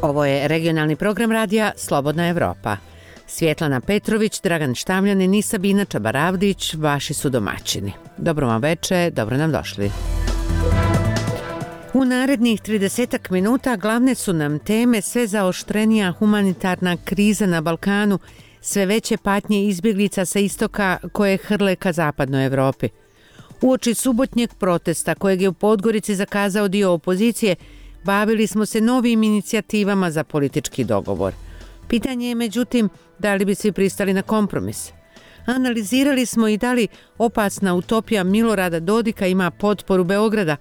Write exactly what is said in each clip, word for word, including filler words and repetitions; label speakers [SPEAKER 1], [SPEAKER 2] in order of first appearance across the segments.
[SPEAKER 1] Ovo je regionalni program radija Slobodna Evropa. Svjetlana Petrović, Dragan Štavljanin i Sabina Čabaravdić vaši su domaćini. Dobro vam veče, dobro nam došli. U narednih tridesetak minuta glavne su nam teme sve zaoštrenija humanitarna kriza na Balkanu, sve veće patnje izbjeglica sa istoka koje hrle ka zapadnoj Evropi. Uoči subotnjeg protesta kojeg je u Podgorici zakazao dio opozicije, bavili smo se novim inicijativama za politički dogovor. Pitanje je međutim da li bi svi pristali na kompromis. Analizirali smo i da li opasna utopija Milorada Dodika ima potporu Beograda,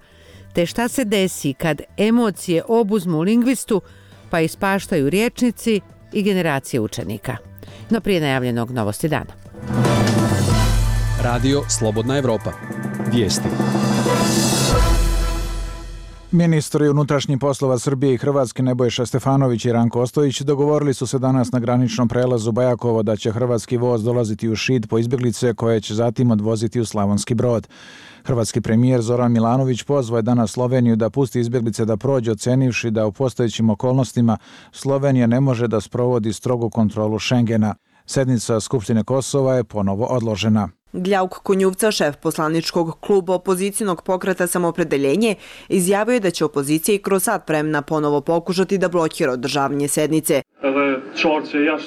[SPEAKER 1] te šta se desi kad emocije obuzmu lingvistu pa ispaštaju rječnici i generacije učenika. No prije najavljenog novosti dana.
[SPEAKER 2] Radio Slobodna Evropa. Vijesti.
[SPEAKER 3] Ministri unutrašnjih poslova Srbije i Hrvatske Nebojša Stefanović i Ranko Ostojić dogovorili su se danas na graničnom prelazu Bajakovo da će hrvatski voz dolaziti u Šid po izbjeglice koje će zatim odvoziti u Slavonski Brod. Hrvatski premijer Zoran Milanović pozvao je danas Sloveniju da pusti izbjeglice da prođe, ocenivši da u postojećim okolnostima Slovenija ne može da sprovodi strogu kontrolu Šengena. Sednica Skupštine Kosova je ponovo odložena.
[SPEAKER 4] Gljauk Konjuvca, šef poslaničkog kluba opozicijnog pokreta Samopredeljenje, izjavio je da će opozicija i kroz sat vremena ponovo pokušati da blokira održavanje sednice.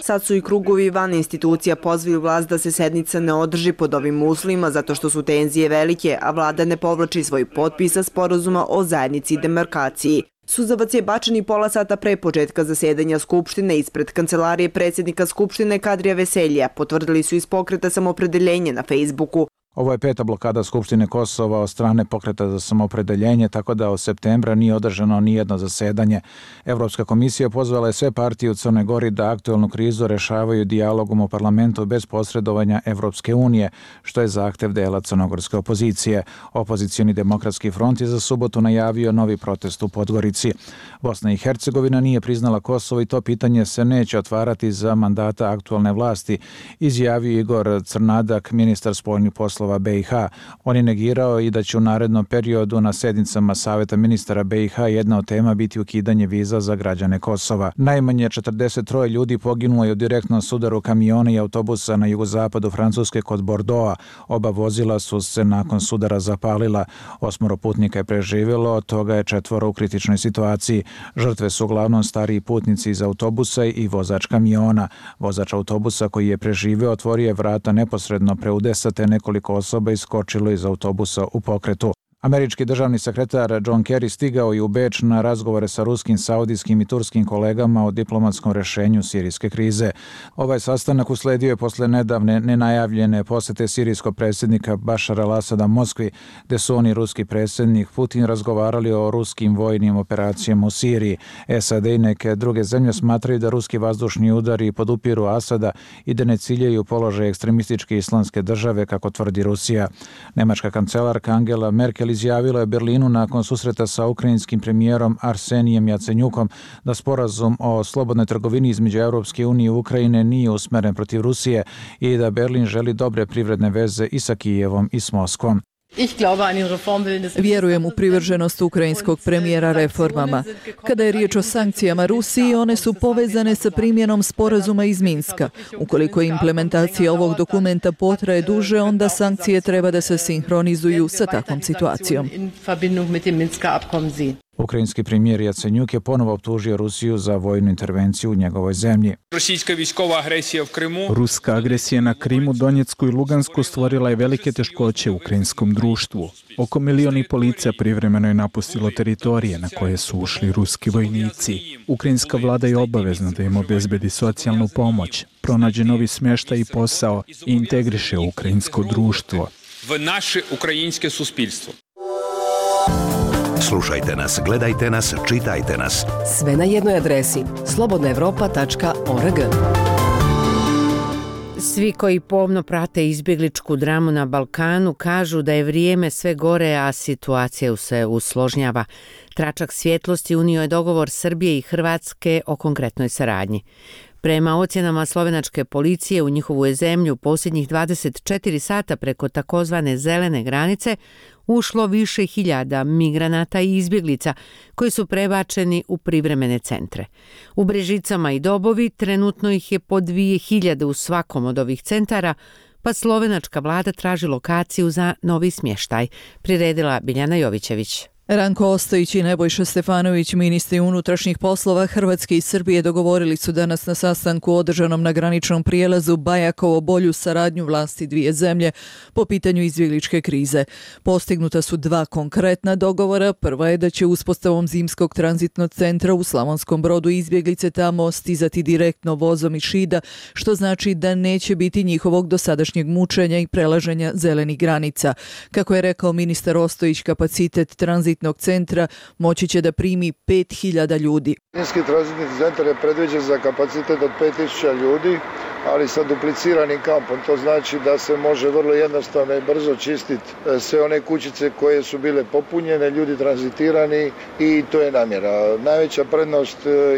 [SPEAKER 4] Sad su i krugovi van institucija pozvali vlast da se sednica ne održi pod ovim uslovima zato što su tenzije velike, a vlada ne povlači svoj potpis sa sporazuma o zajednici i demarkaciji. Suzavac je bačen i pola sata pre početka zasedanja Skupštine ispred kancelarije predsjednika Skupštine Kadrija Veseljija, potvrdili su iz pokreta Samopredeljenje na Facebooku.
[SPEAKER 3] Ovo je peta blokada Skupštine Kosova od strane pokreta za samopredeljenje, tako da od septembra nije održano nijedno zasedanje. Evropska komisija pozvala je sve partije u Crnoj Gori da aktuelnu krizu rešavaju dijalogom u parlamentu bez posredovanja Evropske unije, što je zahtev dela crnogorske opozicije. Opozicioni demokratski front je za subotu najavio novi protest u Podgorici. Bosna i Hercegovina nije priznala Kosovo i to pitanje se neće otvarati za mandata aktuelne vlasti, izjavio Igor Crnadak, ministar spoljnih poslova be i ha. On je negirao i da će u narednom periodu na sednicama Saveta ministara be i ha jedna od tema biti ukidanje viza za građane Kosova. Najmanje četrdeset troje ljudi poginulo je u direktnom sudaru kamiona i autobusa na jugozapadu Francuske kod Bordeauxa. Oba vozila su se nakon sudara zapalila. Osmoro putnika je preživjelo, od toga je četvoro u kritičnoj situaciji. Žrtve su uglavnom stariji putnici iz autobusa i vozač kamiona. Vozač autobusa koji je preživio otvorio je vrata neposredno pre udesa, te nekoliko osoba iskočilo iz autobusa u pokretu. Američki državni sekretar John Kerry stigao je u Beč na razgovore sa ruskim, saudijskim i turskim kolegama o diplomatskom rešenju sirijske krize. Ovaj sastanak usledio je posle nedavne nenajavljene posete sirijskog predsjednika Bašara al-Asada Moskvi, gde su oni ruski predsjednik Putin razgovarali o ruskim vojnim operacijama u Siriji. es a de i neke druge zemlje smatraju da ruski vazdušni udari podupiru Asada i da ne ciljaju položaj ekstremističke islamske države, kako tvrdi Rusija. Nemačka kancelarka Angela Merkel izjavila je Berlinu nakon susreta sa ukrajinskim premijerom Arsenijem Jacenjukom da sporazum o slobodnoj trgovini između Europske unije i Ukrajine nije usmeren protiv Rusije i da Berlin želi dobre privredne veze i sa Kijevom i s Moskvom.
[SPEAKER 5] Vjerujem u privrženost ukrajinskog premijera reformama. Kada je riječ o sankcijama Rusiji, one su povezane sa primjenom sporazuma iz Minska. Ukoliko implementacija ovog dokumenta potraje duže, onda sankcije treba da se sinhronizuju sa takvom situacijom.
[SPEAKER 3] Ukrajinski premijer Jacenjuk je ponovo optužio Rusiju za vojnu intervenciju u njegovoj zemlji.
[SPEAKER 6] Ruska agresija na Krimu, Donjecku i Lugansku stvorila je velike teškoće u ukrajinskom društvu. Oko milion i pol lica privremeno je napustilo teritorije na koje su ušli ruski vojnici. Ukrajinska vlada je obavezna da im obezbedi socijalnu pomoć, pronađe novi smještaj i posao i integriše ukrajinsko društvo.
[SPEAKER 7] V naše ukrajinske suspilstvo.
[SPEAKER 8] Slušajte nas, gledajte nas, čitajte nas.
[SPEAKER 9] Sve na jednoj adresi slobodna evropa tačka org.
[SPEAKER 1] Svi koji pomno prate izbjegličku dramu na Balkanu kažu da je vrijeme sve gore, a situacija se usložnjava. Tračak svjetlosti unio je dogovor Srbije i Hrvatske o konkretnoj saradnji. Prema ocjenama slovenačke policije u njihovu je zemlju posljednjih dvadeset četiri sata preko takozvane zelene granice ušlo više hiljada migranata i izbjeglica koji su prebačeni u privremene centre. U Brežicama i Dobovi trenutno ih je po dvije hiljade u svakom od ovih centara, pa slovenačka vlada traži lokaciju za novi smještaj, priredila Biljana Jovićević.
[SPEAKER 5] Ranko Ostojić i Nebojša Stefanović, ministri unutrašnjih poslova Hrvatske i Srbije, dogovorili su danas na sastanku održanom na graničnom prijelazu Bajakovo bolju saradnju vlasti dvije zemlje po pitanju izbjegličke krize. Postignuta su dva konkretna dogovora. Prva je da će uspostavom zimskog tranzitnog centra u Slavonskom Brodu izbjeglice tamo stizati direktno vozom iz Šida, što znači da neće biti njihovog dosadašnjeg mučenja i prelaženja zelenih granica. Kako je rekao ministar Ostojić, kapacitet tranzitnog centra moći će da primi pet hiljada ljudi.
[SPEAKER 10] Zimski tranzitni centar je predviđen za kapacitet od pet tisuća ljudi, ali sa dupliciranim kampom. To znači da se može vrlo jednostavno i brzo čistiti sve one kućice koje su bile popunjene, ljudi tranzitirani i to je namjera. Najveća prednost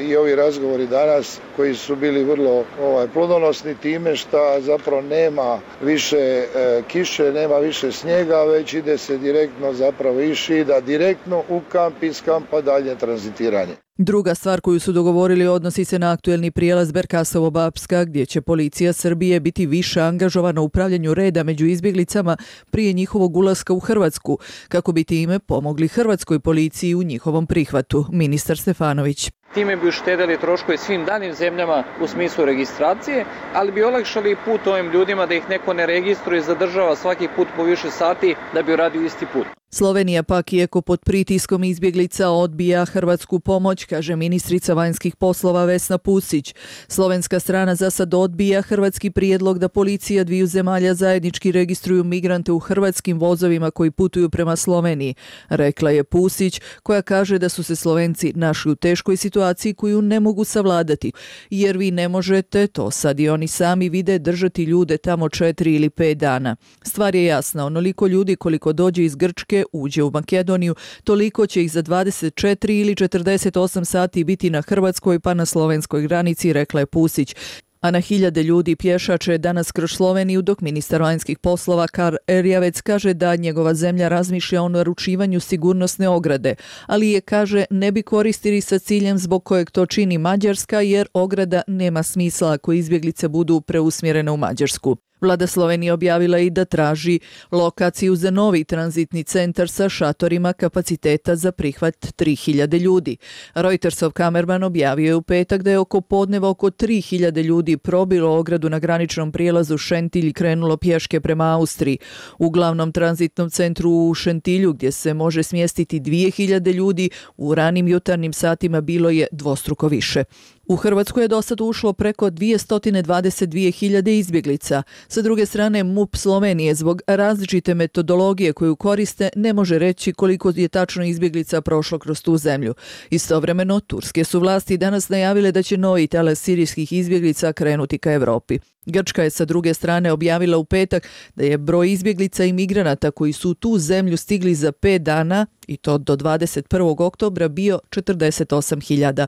[SPEAKER 10] i ovi razgovori danas koji su bili vrlo ovaj, plodonosni time što zapravo nema više e, kiše, nema više snijega, već ide se direktno zapravo iz Šida, direktno u kamp, iz kampa dalje tranzitiranje.
[SPEAKER 5] Druga stvar koju su dogovorili odnosi se na aktuelni prijelaz Berkasovo-Bapska, gdje će policija Srbije biti više angažovana u upravljanju reda među izbjeglicama prije njihovog ulaska u Hrvatsku, kako bi time pomogli hrvatskoj policiji u njihovom prihvatu. Ministar Stefanović.
[SPEAKER 11] Time bi uštedili troškove svim danim zemljama u smislu registracije, ali bi olakšali put ovim ljudima da ih neko ne registruje i zadržava svaki put po više sati da bi uradio isti put.
[SPEAKER 5] Slovenija pak, iako pod pritiskom izbjeglica, odbija hrvatsku pomoć, kaže ministrica vanjskih poslova Vesna Pusić. Slovenska strana za sad odbija hrvatski prijedlog da policija dviju zemalja zajednički registruju migrante u hrvatskim vozovima koji putuju prema Sloveniji, rekla je Pusić, koja kaže da su se Slovenci našli u teškoj situaciji koju ne mogu savladati, jer vi ne možete, to sad i oni sami vide, držati ljude tamo četiri ili pet dana. Stvar je jasna, onoliko ljudi koliko dođe iz Grčke uđe u Makedoniju, toliko će ih za dvadeset četiri ili četrdeset osam sati biti na hrvatskoj pa na slovenskoj granici, rekla je Pusić. A na hiljade ljudi pješače danas kroz Sloveniju, dok ministar vanjskih poslova Karl Erjavec kaže da njegova zemlja razmišlja o naručivanju sigurnosne ograde, ali je, kaže, ne bi koristili sa ciljem zbog kojeg to čini Mađarska, jer ograda nema smisla ako izbjeglice budu preusmjerene u Mađarsku. Vlada Slovenije objavila i da traži lokaciju za novi tranzitni centar sa šatorima kapaciteta za prihvat tri hiljade ljudi. Reutersov kamerman objavio je u petak da je oko podneva oko tri hiljade ljudi probilo ogradu na graničnom prijelazu Šentilj i krenulo pješke prema Austriji. U glavnom tranzitnom centru u Šentilju, gdje se može smjestiti dvije hiljade ljudi, u ranim jutarnjim satima bilo je dvostruko više. U Hrvatsku je dosad ušlo preko dvjesto dvadeset dvije hiljade izbjeglica. Sa druge strane, MUP Slovenije zbog različite metodologije koju koriste ne može reći koliko je tačno izbjeglica prošlo kroz tu zemlju. Istovremeno, turske su vlasti danas najavile da će novi talas sirijskih izbjeglica krenuti ka Europi. Grčka je sa druge strane objavila u petak da je broj izbjeglica i migranata koji su u tu zemlju stigli za pet dana, i to do dvadeset prvog oktobra, bio četrdeset osam hiljada.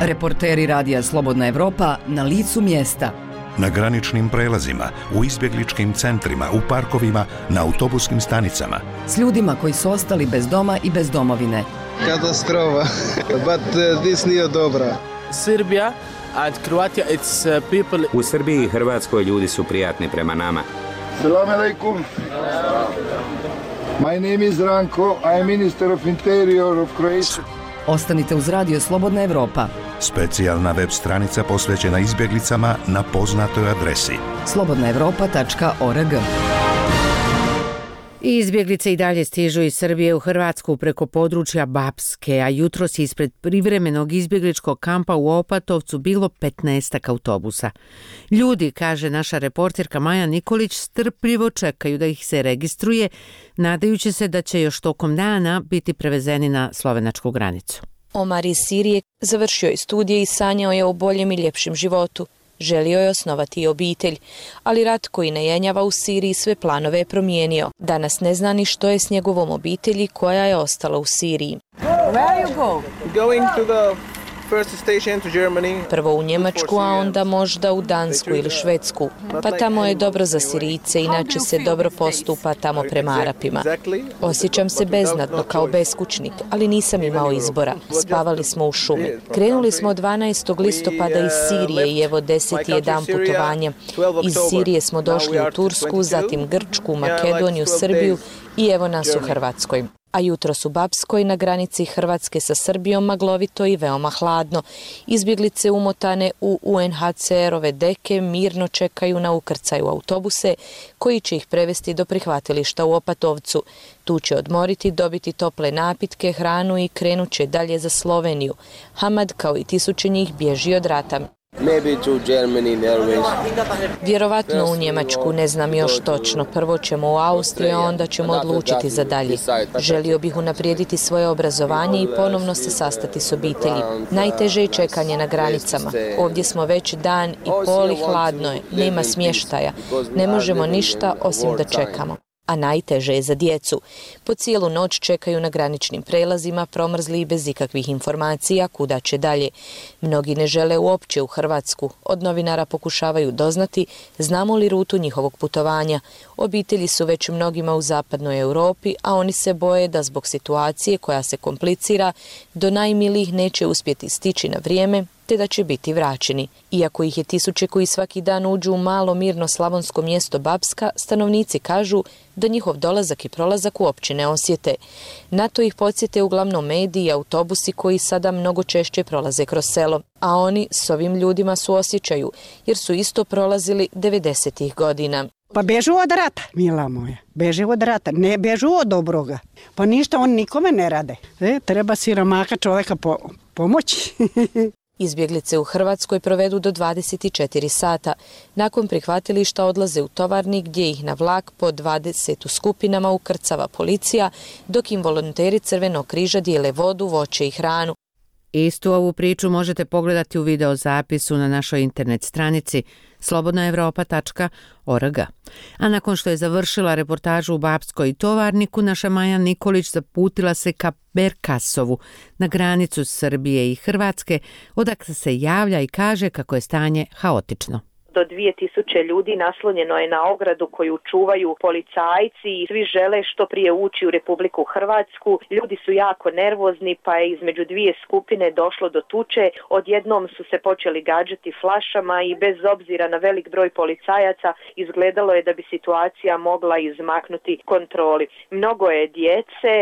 [SPEAKER 9] Reporteri Radija Slobodna Evropa na licu mjesta.
[SPEAKER 8] Na graničnim prelazima, u izbjegličkim centrima, u parkovima, na autobuskim stanicama.
[SPEAKER 9] S ljudima koji su ostali bez doma i bez domovine.
[SPEAKER 12] Katastrofa, but uh, this nije dobra.
[SPEAKER 13] Srbija and Croatia, it's uh, people...
[SPEAKER 14] U Srbiji i Hrvatskoj ljudi su prijatni prema nama.
[SPEAKER 10] Salam alaikum. My name is Ranko, I am Minister of Interior of Croatia.
[SPEAKER 9] Ostanite uz Radio Slobodna Evropa.
[SPEAKER 8] Specijalna web stranica posvećena izbjeglicama na poznatoj adresi
[SPEAKER 9] slobodna evropa tačka org.
[SPEAKER 1] Izbjeglice i dalje stižu iz Srbije u Hrvatsku preko područja Bapske, a jutros ispred privremenog izbjegličkog kampa u Opatovcu bilo petnaestak autobusa. Ljudi, kaže naša reporterka Maja Nikolić, strpljivo čekaju da ih se registruje, nadajući se da će još tokom dana biti prevezeni na slovenačku granicu.
[SPEAKER 15] Omar iz Sirije završio je studije i sanjao je o boljem i ljepšem životu. Želio je osnovati i obitelj, ali rat koji ne jenjava u Siriji sve planove je promijenio. Danas ne zna ni što je s njegovom obitelji koja je ostala u Siriji.
[SPEAKER 13] Where are you go? Going to the
[SPEAKER 15] Prvo u Njemačku, a onda možda u Dansku ili Švedsku. Pa tamo je dobro za Sirijce, inače se dobro postupa tamo prema Arapima. Osjećam se beznadno kao beskućnik, ali nisam imao izbora. Spavali smo u šumi. Krenuli smo dvanaestog listopada iz Sirije i evo deseti je dan putovanja. Iz Sirije smo došli u Tursku, zatim Grčku, Makedoniju, Srbiju i evo nas u Hrvatskoj. A jutros u Bapskoj na granici Hrvatske sa Srbijom maglovito i veoma hladno. Izbjeglice umotane u U N H C R-ove deke mirno čekaju na ukrcaj u autobuse koji će ih prevesti do prihvatilišta u Opatovcu. Tu će odmoriti, dobiti tople napitke, hranu i krenut će dalje za Sloveniju. Hamad, kao i tisuće njih, bježi od rata. Vjerovatno u Njemačku, ne znam još točno. Prvo ćemo u Austriju, a onda ćemo odlučiti za dalje. Želio bih unaprijediti svoje obrazovanje i ponovno se sastati s obitelji. Najteže je čekanje na granicama. Ovdje smo već dan i pol i hladno je, nema smještaja. Ne možemo ništa osim da čekamo. A najteže je za djecu. Po cijelu noć čekaju na graničnim prelazima, promrzli i bez ikakvih informacija kuda će dalje. Mnogi ne žele uopće u Hrvatsku. Od novinara pokušavaju doznati znamo li rutu njihovog putovanja. Obitelji su već mnogima u zapadnoj Europi, a oni se boje da zbog situacije koja se komplicira do najmilijih neće uspjeti stići na vrijeme, te da će biti vraćeni. Iako ih je tisuće koji svaki dan uđu u malo mirno slavonsko mjesto Bapska, stanovnici kažu da njihov dolazak i prolazak uopće ne osjete. Na to ih podsjete uglavnom mediji i autobusi koji sada mnogo češće prolaze kroz selo. A oni s ovim ljudima suosjećaju, jer su isto prolazili devedesetih godina.
[SPEAKER 16] Pa bežu od rata, mila moja. Beže od rata, ne bežu od dobroga. Pa ništa on nikome ne rade. E, treba siromaka čovjeka po, pomoći.
[SPEAKER 15] Izbjeglice u Hrvatskoj provedu do dvadeset četiri sata. Nakon prihvatilišta odlaze u tovarnik gdje ih na vlak po dvadeset u skupinama ukrcava policija, dok im volonteri Crvenog križa dijele vodu, voće i hranu.
[SPEAKER 1] Istu ovu priču možete pogledati u videozapisu na našoj internet stranici slobodna europa tačka org. A nakon što je završila reportažu u Bapskoj i Tovarniku, naša Maja Nikolić zaputila se ka Berkasovu, na granicu Srbije i Hrvatske, odakle se javlja i kaže kako je stanje haotično.
[SPEAKER 17] Do dvije tisuće ljudi naslonjeno je na ogradu koju čuvaju policajci i svi žele što prije ući u Republiku Hrvatsku. Ljudi su jako nervozni, pa je između dvije skupine došlo do tuče. Odjednom su se počeli gađati flašama i bez obzira na velik broj policajaca izgledalo je da bi situacija mogla izmaknuti kontroli. Mnogo je djece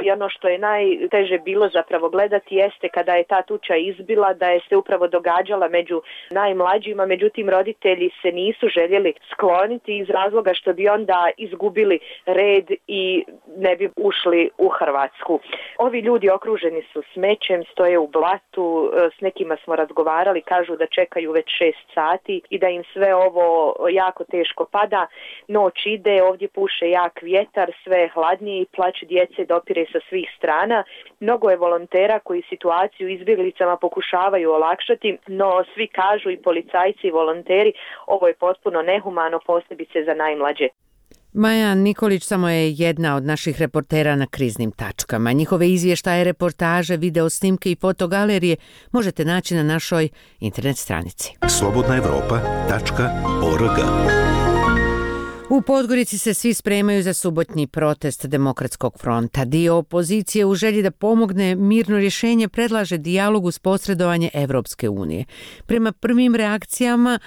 [SPEAKER 17] i ono što je najteže bilo zapravo gledati jeste kada je ta tuča izbila da je se upravo događala među najmlađima, međutim roditelji Roditelji se nisu željeli skloniti iz razloga što bi onda izgubili red i ne bi ušli u Hrvatsku. Ovi ljudi okruženi su smećem, stoje u blatu, s nekima smo razgovarali, kažu da čekaju već šest sati i da im sve ovo jako teško pada. Noć ide, ovdje puše jak vjetar, sve je hladnije i plać djece dopire sa svih strana. Mnogo je volontera koji situaciju izbjeglicama pokušavaju olakšati, no svi kažu i policajci i volonteri ovo je potpuno nehumano, posebice za najmlađe.
[SPEAKER 1] Maja Nikolić samo je jedna od naših reportera na kriznim tačkama. Njihove izvještaje, reportaže, video snimke i fotogalerije možete naći na našoj internet stranici.
[SPEAKER 8] slobodna europa tačka org.
[SPEAKER 1] U Podgorici se svi spremaju za subotnji protest Demokratskog fronta. Dio opozicije u želji da pomogne mirno rješenje predlaže dijalog uz posredovanje Evropske unije. Prema prvim reakcijama,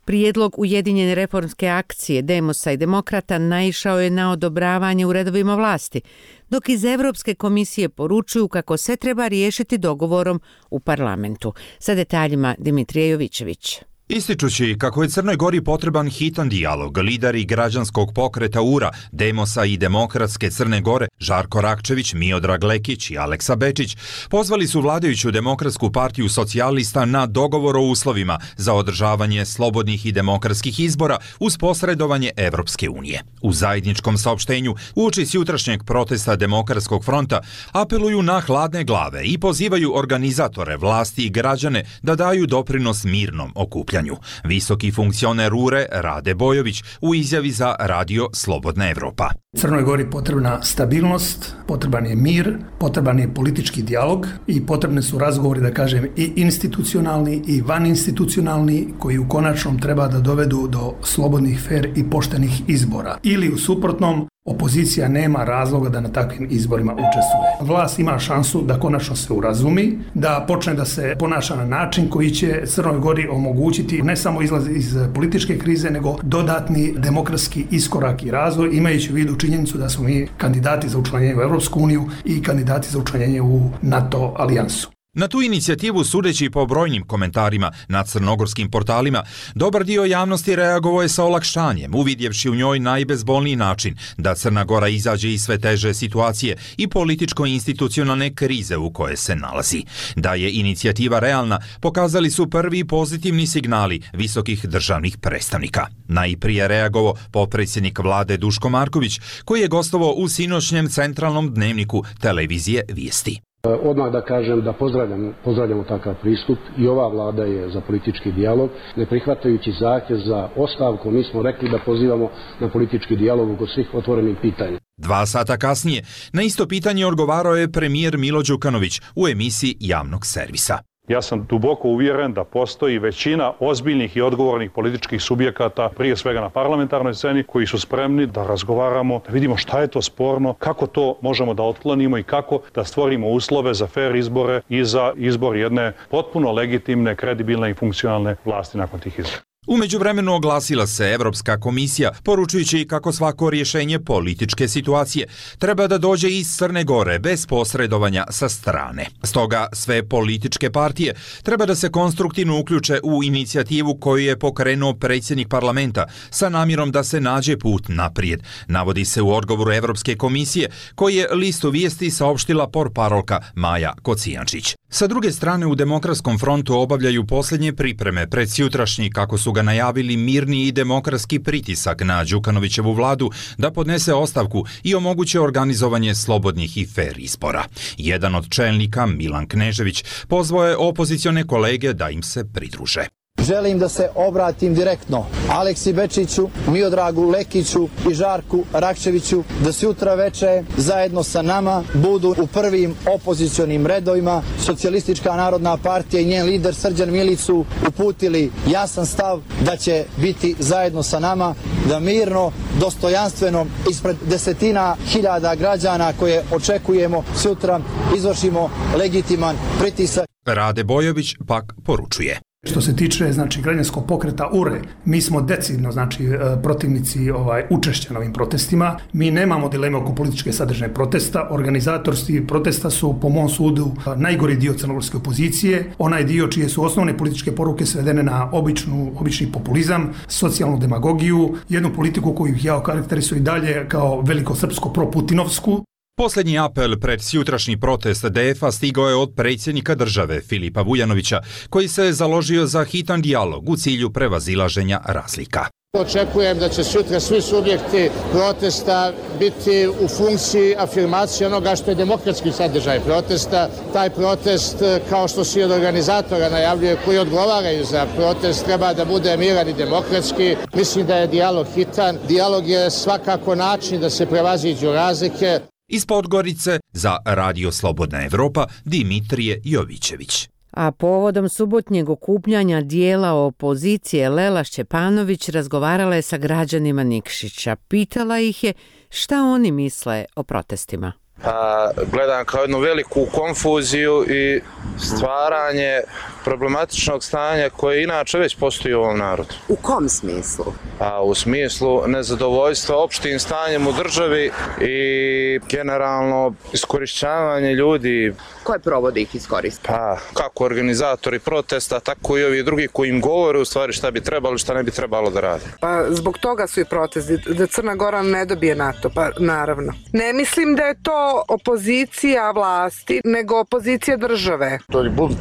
[SPEAKER 1] prijedlog Ujedinjene reformske akcije Demosa i Demokrata naišao je na odobravanje u redovima vlasti, dok iz Evropske komisije poručuju kako se treba riješiti dogovorom u parlamentu. Sa detaljima Dimitrije Jovićević.
[SPEAKER 18] Ističući kako je Crnoj Gori potreban hitan dijalog, lideri građanskog pokreta U R A, Demosa i Demokratske Crne Gore, Žarko Rakčević, Miodrag Lekić i Aleksa Bečić, pozvali su vladajuću Demokratsku partiju socijalista na dogovor o uslovima za održavanje slobodnih i demokratskih izbora uz posredovanje Evropske unije. U zajedničkom saopštenju uoči s jutrašnjeg protesta Demokratskog fronta apeluju na hladne glave i pozivaju organizatore, vlasti i građane da daju doprinos mirnom okupljanju. Visoki funkcioner U R E Rade Bojović u izjavi za radio Slobodna Evropa.
[SPEAKER 19] Crnoj Gori potrebna stabilnost, potreban je mir, potreban je politički dijalog i potrebne su razgovori, da kažem, i institucionalni i vaninstitucionalni koji u konačnom treba da dovedu do slobodnih, fer i poštenih izbora. Ili u suprotnom, opozicija nema razloga da na takvim izborima učestvuje. Vlast ima šansu da konačno se urazumi, da počne da se ponaša na način koji će Crnoj Gori omogućiti ne samo izlaz iz političke krize, nego dodatni demokratski iskorak i razvoj, imajući u vidu činjenicu da smo mi kandidati za učlanjenje u Evropsku uniju i kandidati za učlanjenje u NATO alijansu.
[SPEAKER 18] Na tu inicijativu, sudeći po brojnim komentarima na crnogorskim portalima, dobar dio javnosti reagovao je sa olakšanjem, uvidjevši u njoj najbezbolniji način da Crna Gora izađe iz sve teže situacije i političko-institucionalne krize u koje se nalazi. Da je inicijativa realna, pokazali su prvi pozitivni signali visokih državnih predstavnika. Najprije reagovao potpredsjednik vlade Duško Marković, koji je gostovao u sinoćnjem centralnom dnevniku televizije Vijesti.
[SPEAKER 20] Odmah da kažem da pozdravljam, pozdravljamo takav pristup i ova vlada je za politički dijalog, ne prihvatajući zahtjev za ostavku. Mi smo rekli da pozivamo na politički dijalog oko svih otvorenih pitanja.
[SPEAKER 18] Dva sata kasnije na isto pitanje odgovarao je premijer Milo Đukanović u emisiji javnog servisa.
[SPEAKER 21] Ja sam duboko uvjeren da postoji većina ozbiljnih i odgovornih političkih subjekata, prije svega na parlamentarnoj sceni, koji su spremni da razgovaramo, da vidimo šta je to sporno, kako to možemo da otklonimo i kako da stvorimo uslove za fer izbore i za izbor jedne potpuno legitimne, kredibilne i funkcionalne vlasti nakon tih izbora.
[SPEAKER 18] U međuvremenu oglasila se Evropska komisija, poručujući kako svako rješenje političke situacije treba da dođe iz Crne Gore bez posredovanja sa strane. Stoga sve političke partije treba da se konstruktivno uključe u inicijativu koju je pokrenuo predsjednik parlamenta sa namjerom da se nađe put naprijed, navodi se u odgovoru Evropske komisije koji je listu Vijesti saopštila portparolka Maja Kocijančić. Sa druge strane, u Demokratskom frontu obavljaju posljednje pripreme pred sutrašnji, kako su ga najavili, mirni i demokratski pritisak na Đukanovićevu vladu da podnese ostavku i omoguće organizovanje slobodnih i fer izbora. Jedan od čelnika, Milan Knežević, pozvao je opozicione kolege da im se pridruže.
[SPEAKER 22] Želim da se obratim direktno Aleksi Bečiću, Miodragu Lekiću i Žarku Rakčeviću da sutra veče zajedno sa nama budu u prvim opozicionim redovima. Socijalistička narodna partija i njen lider Srđan Milicu uputili jasan stav da će biti zajedno sa nama, da mirno, dostojanstveno, ispred desetina hiljada građana koje očekujemo sutra, izvršimo legitiman pritisak.
[SPEAKER 18] Rade Bojović pak poručuje.
[SPEAKER 19] Što se tiče, znači, građanskog pokreta U R E, mi smo decidno, znači, protivnici ovaj, učešća na ovim protestima. Mi nemamo dileme oko političke sadržine protesta. Organizatorski protesta su, po mom sudu, najgori dio crnogorske opozicije. Onaj dio čije su osnovne političke poruke svedene na običnu, obični populizam, socijalnu demagogiju, jednu politiku koju ja okarakterizujem i dalje kao velikosrpsko proputinovsku.
[SPEAKER 18] Posljednji apel pred sutrašnji protest D F A stigao je od predsjednika države Filipa Vujanovića, koji se je založio za hitan dijalog u cilju prevazilaženja razlika.
[SPEAKER 23] Očekujem da će sutra svi subjekti protesta biti u funkciji afirmacije onoga što je demokratski sadržaj protesta. Taj protest, kao što svi od organizatora najavljuje, koji odgovaraju za protest, treba da bude miran i demokratski. Mislim da je dijalog hitan. Dijalog je svakako način da se prevaziđu razlike.
[SPEAKER 18] Iz Podgorice za Radio Slobodna Evropa Dimitrije Jovićević.
[SPEAKER 1] A povodom subotnjeg okupljanja dijela opozicije Lela Šćepanović razgovarala je sa građanima Nikšića. Pitala ih je šta oni misle o protestima.
[SPEAKER 24] A, gledam kao jednu veliku konfuziju i stvaranje problematičnog stanja koje inače već postoji u ovom narodu.
[SPEAKER 25] U kom smislu?
[SPEAKER 24] A, u smislu nezadovoljstva opštim stanjem u državi i generalno iskorišćavanje ljudi.
[SPEAKER 25] Koje provode ih iskoristiti?
[SPEAKER 24] Pa, kako organizatori protesta, tako i ovi drugi koji im govore u stvari šta bi trebalo i šta ne bi trebalo da rade.
[SPEAKER 26] Pa, zbog toga su i protesti, da Crna Gora ne dobije NATO, pa naravno. Ne mislim da je to opozicija vlasti, nego opozicija države.
[SPEAKER 27] To je bunt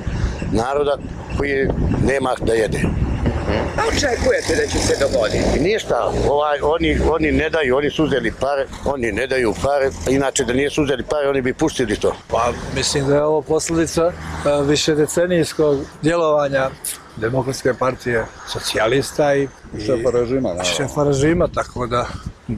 [SPEAKER 27] naroda koji nema da jede.
[SPEAKER 25] A očekujete da će se dogoditi?
[SPEAKER 27] Ništa, ovaj, oni, oni ne daju, oni su uzeli pare, oni ne daju pare, inače da nije su uzeli pare, oni bi pustili to.
[SPEAKER 28] Pa mislim da je ovo posljedica višedecenijskog djelovanja Demokratske partije socijalista i šefa režima. Šefa režima, tako da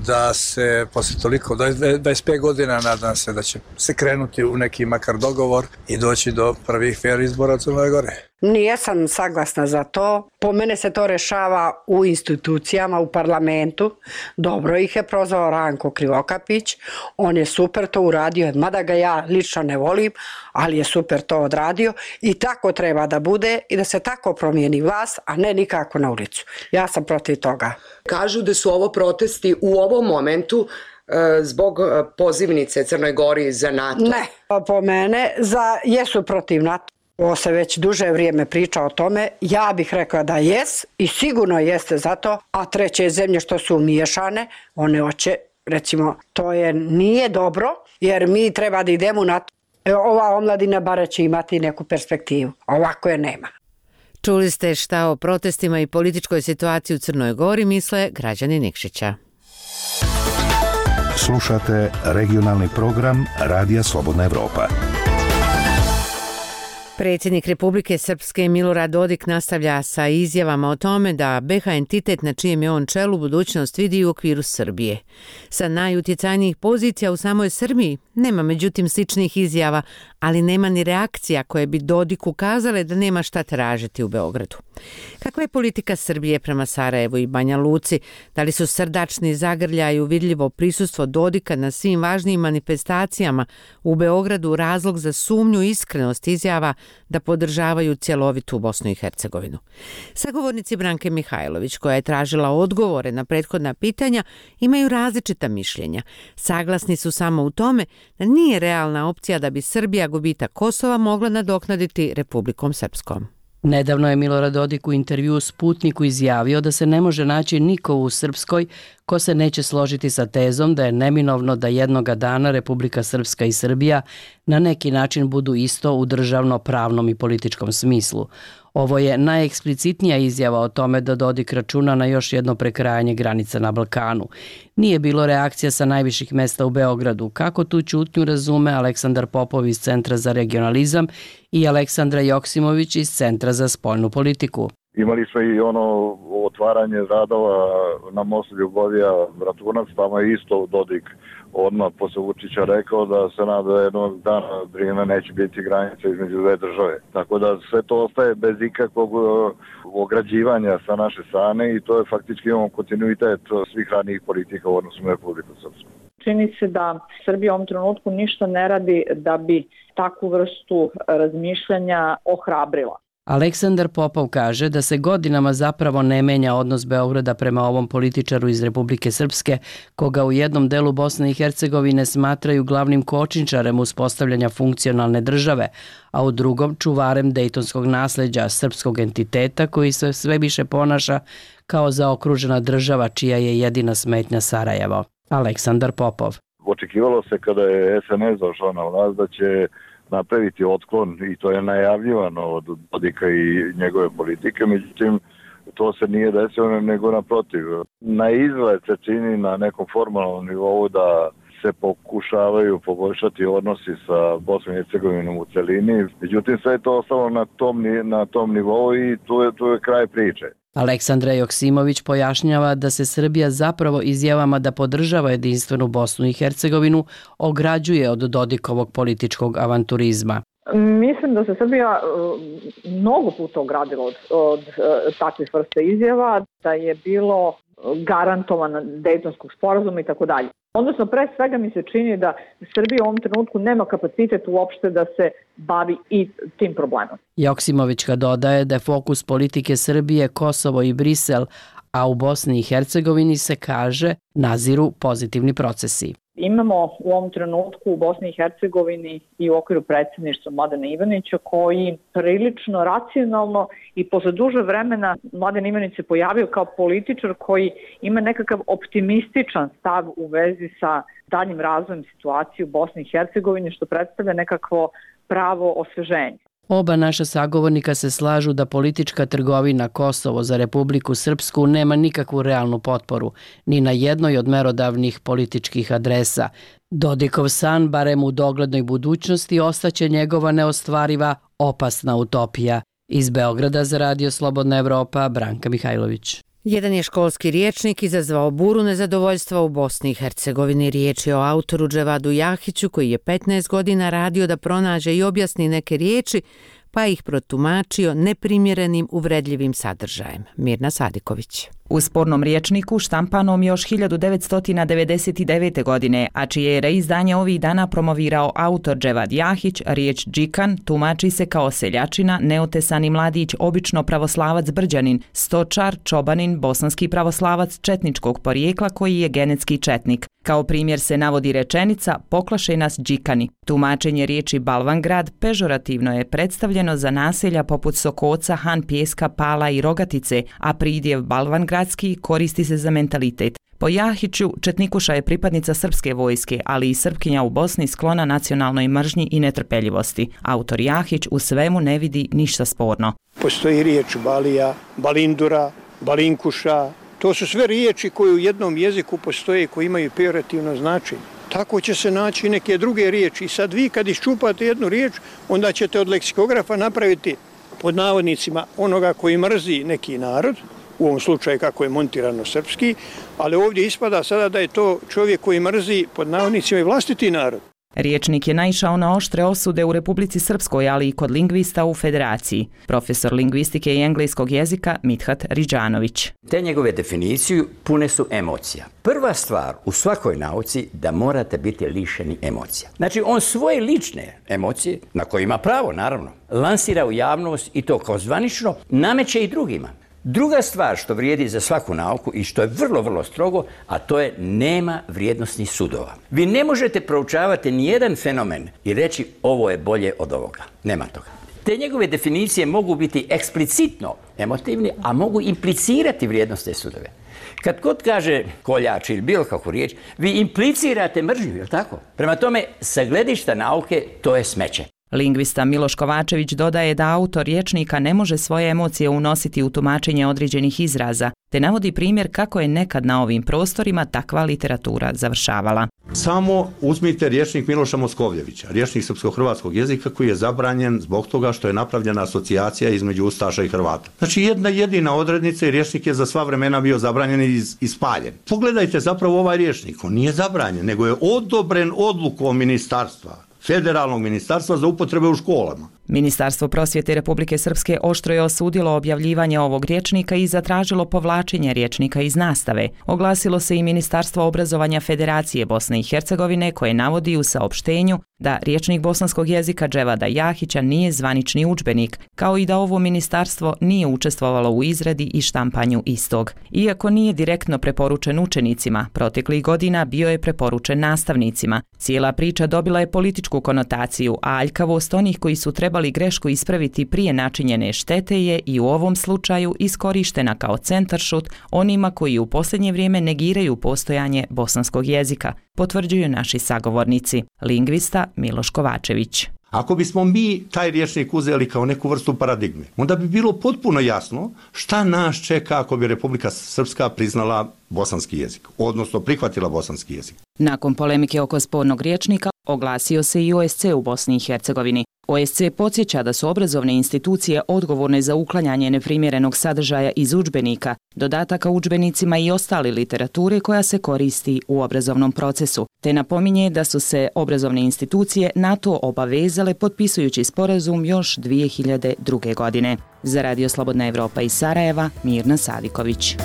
[SPEAKER 28] da se posle toliko, dvadeset pet godina, nadam se da će se krenuti u neki makar dogovor i doći do prvih fair izbora u Crnoj Gori.
[SPEAKER 16] Nijesam saglasna za to. Po mene se to rešava u institucijama, u parlamentu. Dobro ih je prozvao Ranko Krivokapić. On je super to uradio, mada ga ja lično ne volim, ali je super to odradio i tako treba da bude i da se tako promijeni vlast, a ne nikako na ulicu. Ja sam protiv toga.
[SPEAKER 25] Kažu da su ovo protesti u ovom momentu zbog pozivnice Crnoj Gori za NATO.
[SPEAKER 16] Ne, po mene za, jesu protiv NATO. Ovo se već duže vrijeme priča o tome. Ja bih rekla da jes i sigurno jeste za to, a treće zemlje što su umiješane, one hoće, recimo, to je nije dobro, jer mi treba da idemo na to. Ova omladina bare će imati neku perspektivu, ovako je nema.
[SPEAKER 1] Čuli ste šta o protestima i političkoj situaciji u Crnoj Gori misle građani Nikšića.
[SPEAKER 8] Slušate regionalni program Radija Slobodna Evropa.
[SPEAKER 1] Predsjednik Republike Srpske Milorad Dodik nastavlja sa izjavama o tome da be ha entitet na čijem je on čelu budućnost vidi u okviru Srbije. Sa najutjecajnijih pozicija u samoj Srbiji nema međutim sličnih izjava, ali nema ni reakcija koje bi Dodik ukazale da nema šta tražiti u Beogradu. Kakva je politika Srbije prema Sarajevu i Banja Luci? Da li su srdačni zagrljaj i uvidljivo prisustvo Dodika na svim važnijim manifestacijama u Beogradu razlog za sumnju i iskrenost izjava da podržavaju cjelovitu Bosnu i Hercegovinu? Sagovornici Branke Mihajlović, koja je tražila odgovore na prethodna pitanja, imaju različita mišljenja. Saglasni su samo u tome da nije realna opcija da bi Srbija gubitak Kosova mogla nadoknaditi Republikom Srpskom.
[SPEAKER 2] Nedavno je Milorad Dodik u intervjuu Sputniku izjavio da se ne može naći niko u Srpskoj ko se neće složiti sa tezom da je neminovno da jednoga dana Republika Srpska i Srbija na neki način budu isto u državno-pravnom i političkom smislu. Ovo je najeksplicitnija izjava o tome da Dodik računa na još jedno prekrajanje granica na Balkanu. Nije bilo reakcija sa najviših mesta u Beogradu. Kako tu ćutnju razume Aleksandar Popov iz Centra za regionalizam i Aleksandra Joksimović iz Centra za spoljnu politiku?
[SPEAKER 3] Imali smo i ono otvaranje radova na mostu Ljubovija-Bratunac, tamo je isto Dodik odmah posle Vučića rekao da se nada da jednog dana Drina neće biti granica između dve države. Tako da sve to ostaje bez ikakvog ograđivanja sa naše strane i to je faktički imamo kontinuitet svih ranijih politika u odnosu na Republiku Srpsku.
[SPEAKER 4] Čini se da Srbija u ovom trenutku ništa ne radi da bi takvu vrstu razmišljanja ohrabrila.
[SPEAKER 2] Aleksandar Popov kaže da se godinama zapravo ne menja odnos Beograda prema ovom političaru iz Republike Srpske, koga u jednom delu Bosne i Hercegovine smatraju glavnim kočničarem uspostavljanja funkcionalne države, a u drugom čuvarem dejtonskog nasleđa srpskog entiteta koji se sve više ponaša kao zaokružena država čija je jedina smetnja Sarajevo. Aleksandar Popov.
[SPEAKER 3] Očekivalo se kada je es en es došao na vlast da će napraviti otklon i to je najavljivano od Dodika i njegove politike, međutim to se nije desilo nego naprotiv. Na izgled se čini na nekom formalnom nivou da se pokušavaju poboljšati odnosi sa Bosnom i Hercegovinom u celini, međutim sve je to ostalo na tom, na tom nivou i tu je, tu je kraj priče.
[SPEAKER 2] Aleksandra Joksimović pojašnjava da se Srbija zapravo izjavama da podržava jedinstvenu Bosnu i Hercegovinu ograđuje od Dodikovog političkog avanturizma.
[SPEAKER 4] Mislim da se Srbija mnogo puta ogradila od, od takvih vrsta izjava, da je bilo garantovana Dejtonskog sporazuma i tako dalje. Odnosno, pre svega mi se čini da Srbija u ovom trenutku nema kapacitet uopšte da se bavi i tim problemom.
[SPEAKER 2] Joksimovićka dodaje da je fokus politike Srbije Kosovo i Brisel, a u Bosni i Hercegovini se kaže naziru pozitivni procesi.
[SPEAKER 4] Imamo u ovom trenutku u Bosni i Hercegovini i u okviru predsjedništva Mladena Ivanića koji prilično racionalno i posle duže vremena Mladen Ivanić se pojavio kao političar koji ima nekakav optimističan stav u vezi sa daljim razvojem situacije u Bosni i Hercegovini što predstavlja nekakvo pravo osveženje.
[SPEAKER 2] Oba naša sagovornika se slažu da politička trgovina Kosovo za Republiku Srpsku nema nikakvu realnu potporu, ni na jednoj od merodavnih političkih adresa. Dodikov san, barem u doglednoj budućnosti, ostaće njegova neostvariva, opasna utopija. Iz Beograda za Radio Slobodna Evropa, Branka Mihajlović.
[SPEAKER 1] Jedan je školski rječnik izazvao buru nezadovoljstva u Bosni i Hercegovini. Riječ je o autoru Dževadu Jahiću koji je petnaest godina radio da pronađe i objasni neke riječi, pa ih protumačio neprimjerenim uvredljivim sadržajem. Mirna Sadiković.
[SPEAKER 5] U spornom rječniku štampanom još hiljadu devetsto devedeset devete. godine, a čije je reizdanje ovih dana promovirao autor Dževad Jahić, riječ džikan tumači se kao seljačina, neotesani mladić, obično pravoslavac Brđanin, stočar, čobanin, bosanski pravoslavac četničkog porijekla koji je genetski četnik. Kao primjer se navodi rečenica poklašaj nas džikani. Tumačenje riječi Balvangrad pežorativno je predstavljeno za naselja poput Sokoca, Han Pjeska, Pala i Rogatice, a pridjev Balvangradski koristi se za mentalitet. Po Jahiću, četnikuša je pripadnica srpske vojske, ali i Srpkinja u Bosni sklona nacionalnoj mržnji i netrpeljivosti. Autor Jahić u svemu ne vidi ništa sporno.
[SPEAKER 6] Postoji riječ balija, balindura, balinkuša. To su sve riječi koje u jednom jeziku postoje, koji imaju pejorativno značenje. Tako će se naći neke druge riječi. I sad vi kad iščupate jednu riječ, onda ćete od leksikografa napraviti pod navodnicima onoga koji mrzi neki narod, u ovom slučaju kako je montirano srpski, ali ovdje ispada sada da je to čovjek koji mrzi pod navodnicima i vlastiti narod.
[SPEAKER 5] Riječnik je naišao na oštre osude u Republici Srpskoj, ali i kod lingvista u Federaciji. Profesor lingvistike i engleskog jezika Mithat Riđanović.
[SPEAKER 7] Te njegove definicije pune su emocija. Prva stvar u svakoj nauci da morate biti lišeni emocija. Znači on svoje lične emocije, na koje ima pravo naravno, lansira u javnost i to kao zvanično nameće i drugima. Druga stvar što vrijedi za svaku nauku i što je vrlo, vrlo strogo, a to je nema vrijednosnih sudova. Vi ne možete proučavati nijedan fenomen i reći ovo je bolje od ovoga. Nema toga. Te njegove definicije mogu biti eksplicitno emotivni, a mogu implicirati vrijednosne sudove. Kad god kaže koljač ili bilo kakvu riječ, vi implicirate mržnju, je li tako? Prema tome, sa gledišta nauke, to je smeće.
[SPEAKER 5] Lingvista Miloš Kovačević dodaje da autor rječnika ne može svoje emocije unositi u tumačenje određenih izraza, te navodi primjer kako je nekad na ovim prostorima takva literatura završavala.
[SPEAKER 9] Samo uzmite rječnik Miloša Moskovljevića, rječnik srpsko-hrvatskog jezika koji je zabranjen zbog toga što je napravljena asocijacija između Ustaša i Hrvata. Znači jedna jedina odrednica i rječnik je za sva vremena bio zabranjen i ispaljen. Pogledajte zapravo ovaj rječnik, on nije zabranjen, nego je odobren odlukom ministarstva. Federalnog ministarstva za upotrebe u školama.
[SPEAKER 5] Ministarstvo prosvjete Republike Srpske oštro je osudilo objavljivanje ovog rječnika i zatražilo povlačenje rječnika iz nastave. Oglasilo se i Ministarstvo obrazovanja Federacije Bosne i Hercegovine koje navodi u saopštenju da rječnik bosanskog jezika Dževada Jahića nije zvanični udžbenik, kao i da ovo ministarstvo nije učestvovalo u izradi i štampanju istog. Iako nije direktno preporučen učenicima, proteklih godina bio je preporučen nastavnicima. Cijela priča dobila je političku konotaciju, a aljkavost onih koji su trebali grešku ispraviti prije načinjene štete je i u ovom slučaju iskorištena kao centaršut onima koji u posljednje vrijeme negiraju postojanje bosanskog jezika, potvrđuju naši sagovornici. Lingvista Miloš Kovačević.
[SPEAKER 9] Ako bismo mi taj rječnik uzeli kao neku vrstu paradigme, onda bi bilo potpuno jasno šta nas čeka ako bi Republika Srpska priznala bosanski jezik, odnosno prihvatila bosanski jezik.
[SPEAKER 5] Nakon polemike oko spornog rječnika oglasio se i O S C u Bosni i Hercegovini. O S C podsjeća da su obrazovne institucije odgovorne za uklanjanje neprimjerenog sadržaja iz udžbenika, dodataka udžbenicima i ostale literature koja se koristi u obrazovnom procesu, te napominje da su se obrazovne institucije na to obavezale potpisujući sporazum još dvije hiljade druge. godine. Za Radio Slobodna Evropa iz Sarajeva, Mirna Sadiković.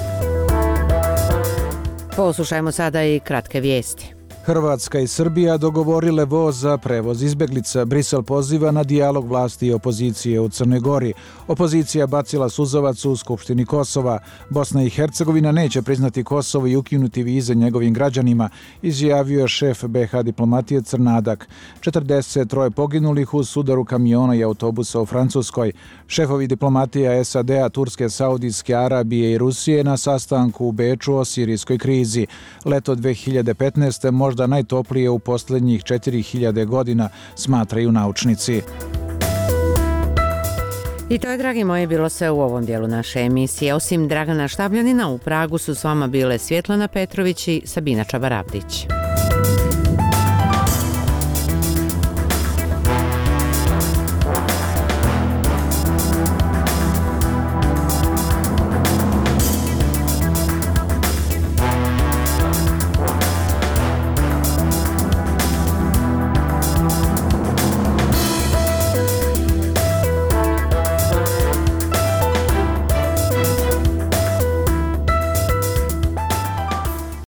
[SPEAKER 1] Poslušajmo sada i kratke vijesti.
[SPEAKER 10] Hrvatska i Srbija dogovorile voz za prevoz izbjeglica. Brisel poziva na dijalog vlasti i opozicije u Crnoj Gori. Opozicija bacila suzavac u Skupštini Kosova. Bosna i Hercegovina neće priznati Kosovo i ukinuti vize njegovim građanima, izjavio je šef B H diplomatije Crnadak. četrdeset tri poginulih u sudaru kamiona i autobusa u Francuskoj. Šefovi diplomatija S A D-a, Turske, Saudijske Arabije i Rusije na sastanku u Beču o sirijskoj krizi. Leto dve hiljade petnaeste možda da najtoplije u posljednjih četiri hiljade godina, smatraju naučnici.
[SPEAKER 1] I to je, dragi moji, bilo sve u ovom dijelu naše emisije. Osim Dragana Štabljanina, u Pragu su s vama bile Svjetlana Petrović i Sabina Čabaravdić.